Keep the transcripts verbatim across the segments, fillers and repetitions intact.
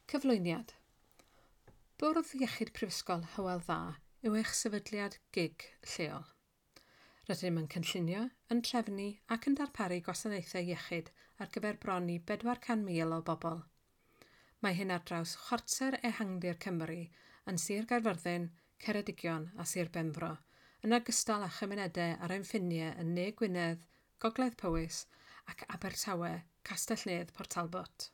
Cyflwyniad. Bwrdd Iechyd Prifysgol Hywel Dda yw eich sefydliad gig lleol. Rydym yn cynllunio, yn trefnu ac yn darparu gwasanaethau iechyd ar gyfer bron i bedwar can mil o bobl. Mae hyn ar draws chwarter ehangdir Cymru yn Sir Gaerfyrddin, Ceredigion a Sir Benfro, yn ogystal â chymunedau ar ein ffiniau yn Ne Gwynedd, Gogledd Powys ac Abertawe, Castell-nedd Port Talbot.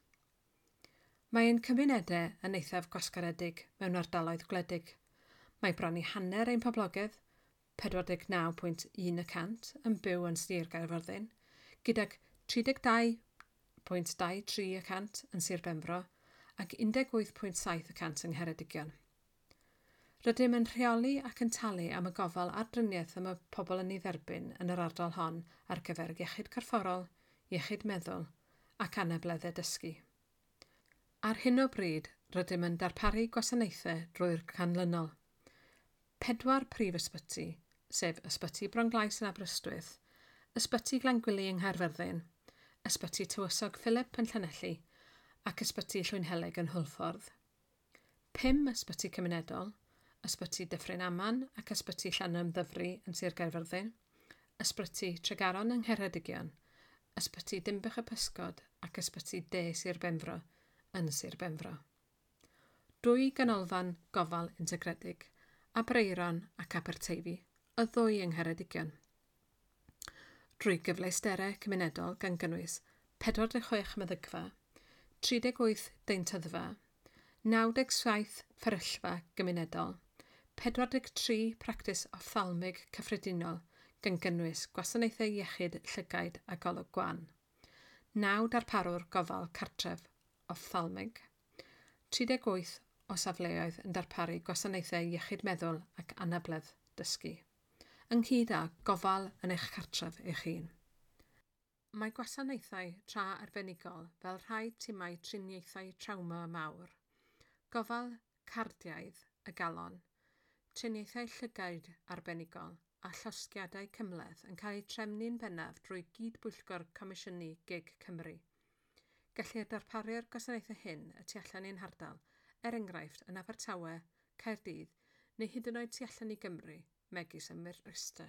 Mae ein cymunedau yn eithaf gwasgaredig mewn ardaloedd gwledig. Mae bron i hanner ein poblogaeth, pedwar deg naw pwynt un y cant, yn byw yn Sir Gaerfyrddin, gydag tri deg dau pwynt dau tri y cant yn Sir Benfro ac un deg wyth pwynt saith y cant yng Ngheredigion. Rydym yn rheoli ac yn talu am y gofal a'r driniaeth y mae pobl yn ei dderbyn yn yr ardal hon ar gyfer iechyd corfforol, iechyd meddwl ac anableddau dysgu. Ar hyn o bryd, rydym yn darparu gwasanaethau drwy'r canlynol. Pedwar prif ysbyty, sef Ysbyty Bronglais yn Aberystwyth, Ysbyty Glangwili yng Nghaerfyrddin, Ysbyty Tywysog Philip yn Llanelli ac Ysbyty Llwynhelyg yn Hwlffordd. Pum ysbyty cymunedol, Ysbyty Dyffryn Aman ac Ysbyty Llanymddyfri yn Sir Gaerfyrddin, Ysbyty Tregaron yng Ngheredigion, Ysbyty Dinbych y Pysgod ac Ysbyty De Sir Benfro yn Sir Benfro. Dwy ganolfan gofal integredig, Aberaeron ac Aberteifi, y ddwy yng Ngheredigion. Drwy gyfleusterau cymunedol gan gynnwys pedwar deg chwech meddygfa, tri deg wyth deintyddfa, naw deg saith fferyllfa gymunedol, pedwar deg tri practis ophthalmig cyffredinol gan gynnwys gwasanaethau iechyd llygaid a golwg gwan, naw darparwr gofal cartref ophthalmig, tri deg wyth o safleoedd yn darparu gwasanaethau iechyd meddwl ac anabledd dysgu, ynghyd â gofal yn eich cartref eich hun. Mae gwasanaethau tra arbenigol fel rhai timau triniaethau trawma mawr, gofal cardiaidd y galon, triniaethau llygaid arbenigol a llosgiadau cymhleth yn cael eu trefnu'n bennaf drwy gyd-bwyllgor Comisiynu Gig Cymru. Gellir darparu'r gwasanaethau hyn y tu allan i'n hardal, er enghraifft yn Abertawe, Caerdydd neu hyd yn oed tu allan i Gymru, megis ym Mryste.